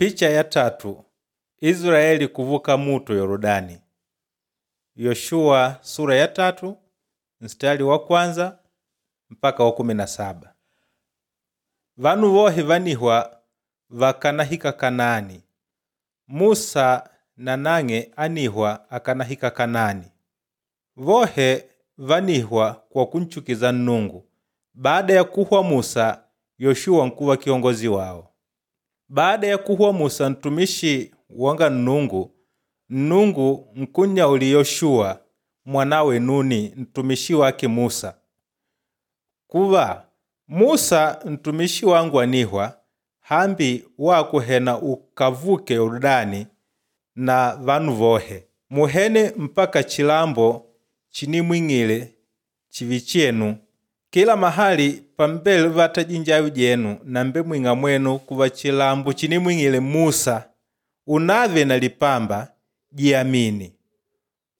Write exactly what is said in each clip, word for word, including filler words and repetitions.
Picha ya tatu Israeli kuvuka muto Yorodani. Yoshuwa sura ya tatu mstari wa kwanza mpaka wa kumi na saba. Vanu wohe vanihwa vakanahika Kanaani. Musa na nang'e anihwa akanahika Kanaani. Vohe vanihwa kwa kunchukiza Nnungu. Baada ya kuhwa Musa, Yoshuwa nkuva kiongozi wao. Baada ya kuhwa Musa ntumishi wanga Nnungu, Nnungu nkunyauli Yoshuwa mwanawe Nuni ntumishi wake Musa kuva Musa ntumishi wangu anihwa hambi wakuhena ukavuke Yordani na vanu vohe muhene mpaka chilambo chinimwing'ile chivi chenu kila mahali pambele vata jinjayo jenu nambe mwing'a mwenu kuva chilambo chinimwing'ile Musa unave na lipamba jiamini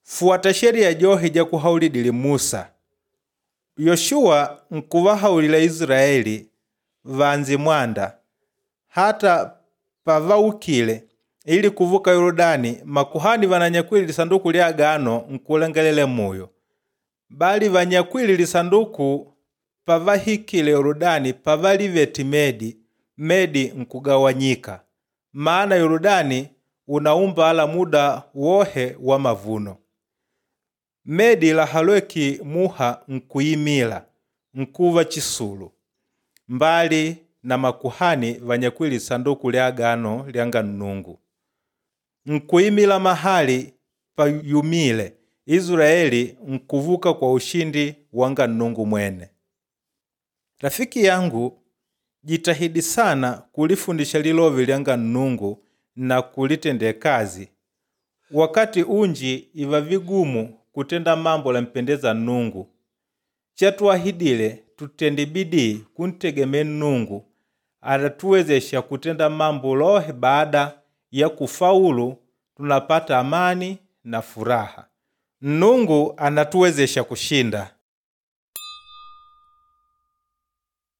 fuata sheria johe jakuhaulidile Musa. Yoshuwa nkuvahaulila Israeli vanze mwanda hata pavaukile ili kuvuka Yorodani makuhani vananyakwile lisanduku lya agano nkulengelela muyo bali vanyakwile lisanduku pavahikile Yorodani pavalivete medi medi nkugawanyika maana Yorodani unaumbala muda wohe wa mavuno. Medi lahalweki muha nkuyimila nkuva chisulu mbali na makuhani vanyakwile lisanduku lya agano lyanga Nnungu. Nkuyimila mahali payumile Israeli nkuvuka kwa ushindi wanga Nnungu mwene. Rafiki yangu jitahidi sana kulifundisha lilovi lyanga Nnungu na kulitendea kazi. Wakati unji iva vigumu kutenda mambo lampendeza Nnungu. Chatuahidile tutende bidii kuntegemee Nnungu atatuwezesha kutenda mambo lohe baada ya kufaulu tunapata amani na furaha. Nnungu anatuwezesha kushinda.